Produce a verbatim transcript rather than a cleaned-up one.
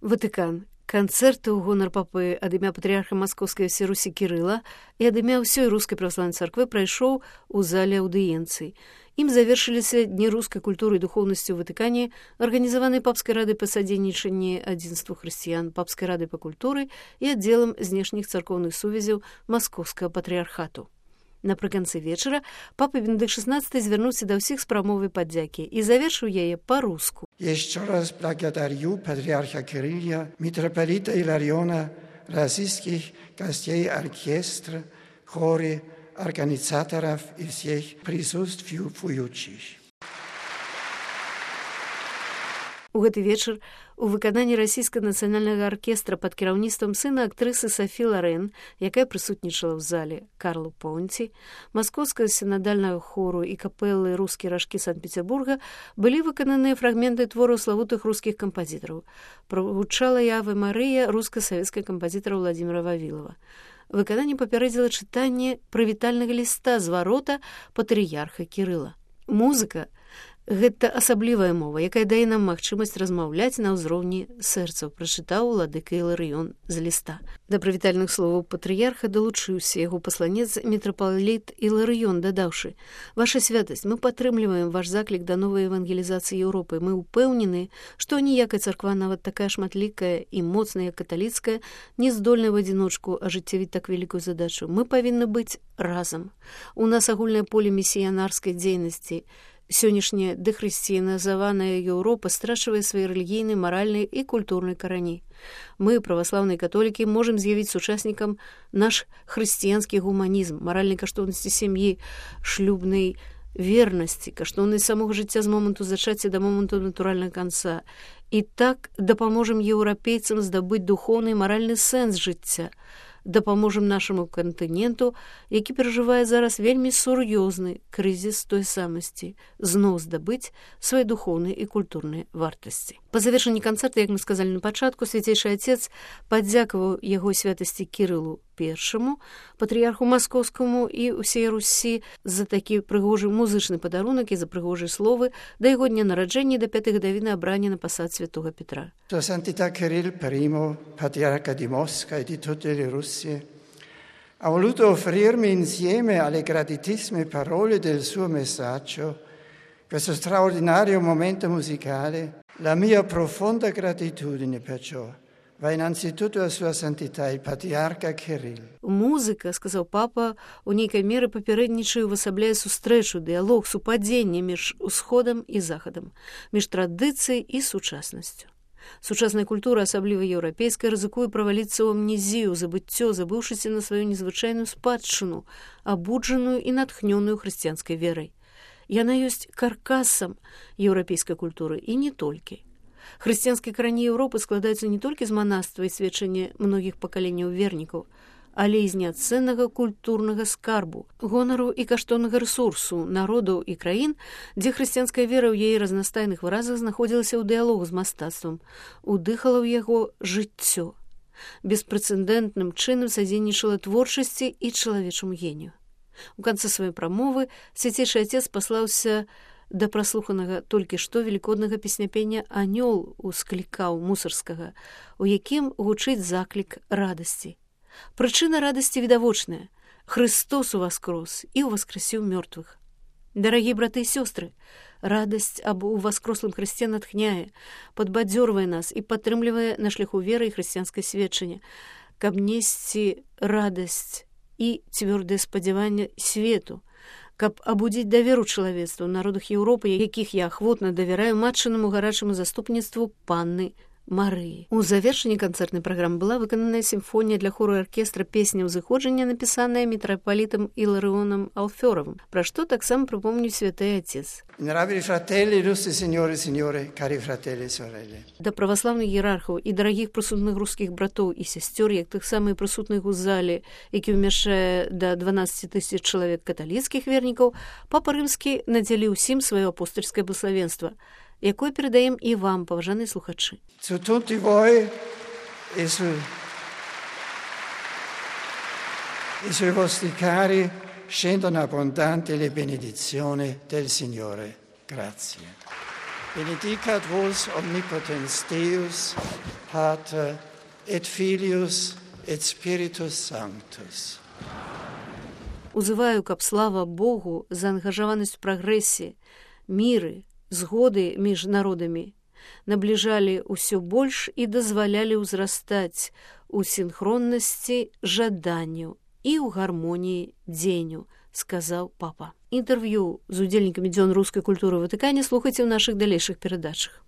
Ватыкан. Канцэрты ў гонар папы ад імя патрыарха Маскоўскай ўсёй Русі Кірыла і ад імя ўсёй рускай праваслаўнай царквы прайшоў у зале аўдыенцый. Ім завершыліся дні рускай культуры і духоўнасці ў Ватыкане, арганізаванай папскай радай па садзейнічанні адзінству хрысціян, папскай радай па культуры і аддзелам знешніх царкоўных сувязяў Маскоўскага патрыархату. Напрыканцы вечара папа Бенедыкт шестнадцатый звярнуўся да ўсіх з прамовай падзякі і завершыў яе па-руску. Jeszcze raz благодарю патриарха Кирилля, митрополита Илариона, российских гостей оркестра, хоры, организаторов и всех присутствующих. У гэты вечар у выкананні расійскага нацыянальнага аркестра пад кіраўніцтвам сына актрысы Сафі Ларен, якая прысутнічала ў зале, Карлу Понці, маскоўскага сінадальнага хору і капэлы «Рускі ражкі» Санкт-Петербурга былі выкананыя фрагменты твораў славутых рускіх кампазітараў. Прагучала і «Аве Марыя» руска-савецкая кампазітара Владзіміра Вавілава. Выкананне папярэдзіла чытанне прывітальнага ліста з варота патрыярха Кірыла. Музыка — гэта асаблівая мова, якая дае нам магчымасць размаўляць на ўзроўні сэрцаў, прачытаў уладыка Іларыён з ліста. Да прывітальных словаў патрыярха далучыўся яго пасланец мітрапаліт Іларыён, дадаўшы: «Ваша святасць, мы падтрымліваем ваш заклік да новай евангелізацыі Еўропы. Мы ўпэўнены, што ніякая царква, нават такая шматлікая і моцная, як каталіцкая, не здольная ў адзіночку ажыццявіць так вялікую задачу. Мы павінны быць разам. У нас агульнае поле місіянарскай дзейнасці. Сённяшняя дэхрысціянізаваная Еўропа страчвае свае рэлігійныя, маральныя і культурныя карані. Мы, праваслаўныя католікі, можам з'явіць сучаснікам наш хрысціянскі гуманізм, маральнай каштоўнасці сям'і, шлюбнай вернасці, каштоўнай самога жыцця з моманту зачацця да моманту натуральнага канца. І так дапаможам еўрапейцам здабыць духоўны і маральны сэнс жыцця. Дапаможам нашаму кантыненту, які перажывае зараз вельмі сур'ёзны крызіс той самасці, зноў здабыць свае духоўныя і культурныя вартасці». Па завяршэнні канцэрта, як мы сказалі на пачатку, свяцейшы Отец падзякаваў яго святасці Кірылу першаму, патрыярху Маскоўскаму і ўсей Русі за такі прыгожы музычны падарунак і за прыгожыя словы да яго дня нараджэння да пятай гадавіны абрання на пасад святога Петра. Sua Santità Kirill I, patriarca di Mosca e di tutte le Russie, ha voluto offrirmi insieme alle graditissime parole del suo messaggio, questo straordinario momento musicale. La mia profonda gratitudine perciò va innanzitutto a Sua Santità il Patriarca Kirill. Музыка, сказаў папа, у нейкай меры папярэднічае увасабляе сустрэчу, дыялог, супадзенне між усходам і захадам, між традыцыяй і сучаснасцю. Сучасная культура, асабліва еўрапейская, рызыкуе праваліцца ў амнезію, забыццё, забыўшыся на сваю незвычайную спадчыну, абуджаную і натхнёную хрысціянскай верай. Яна ёсць каркасам еўрапейскай культуры і не толькі. Хрысціянскія карані Еўропы складаюцца не толькі з манаства і сведчання многіх пакаленняў вернікаў, але і з неацэннага культурнага скарбу, гонару і каштоўнага рэсурсу народаў і краін, дзе хрысціянская вера ў яе разнастайных выразах знаходзілася ў дыялогу з мастацтвам, удыхала ў яго жыццё. Беспрэцэдэнтным чынам садзейнічала творчасці і чалавечаму генію. У канцы сваёй прамовы свяцейшы Отец паслаўся да праслуханага толькі што велікоднага песняпення «Анёл» усклікаў мусарскага, у якім гучыць заклік радасці. Прычына радасці відавочная. Христос уваскрос і ўваскрасіў мёртвых. Дарагія браты і сёстры, радасць аб уваскрослым Хрысце натхняе, падбадзёрвае нас і падтрымлівае на шляху веры і хрысціянскай сведчання, каб несці радасць і цвёрдае спадзяванне свету, каб абудзіць даверу чалавецтва ў народах Еўропы, якіх я ахвотна давяраю матчынаму гарачаму заступніцтву панны Марыі. У завершэнні канцэртнай праграмы была выкананая сімфонія для хору і аркестра «Песня ўзыходжання», напісаная мітрапалітам Іларыёнам Алфёравым, пра што таксама прыпомніў святы Отец. Venerabili fratelli, illustri signori e signore, cari fratelli e sorelle. Да праваслаўных іерархаў і дарагіх прысутных рускіх братоў і сясцёр, як таксама і прысутных у зале, які ўмяшчае да дванаццаці тысяч чалавек каталіцкіх вернікаў, папа Рымскі надзяліў усім сваё апостольскае блаславенства, якое перадаем і вам, паважаныя слухачы. Su tutti voi e, su, e sui vostri cari scendono abbondanti le benedizioni del Signore. Grazie. Benedicat vos omnipotens Deus, Pater, et Filius, et Spiritus Sanctus. Узываю, каб слава Богу за ангажаванасць у прагрэсе, міры, згоды між народамі набліжалі ўсё больш і дазвалялі ўзрастаць у сінхроннасці жаданню і ў гармоніі дзеянню, сказаў папа. Інтэрв'ю з удзельнікамі дзён рускай культуры ў Ватыкане слухайце ў нашых далейшых перадачах.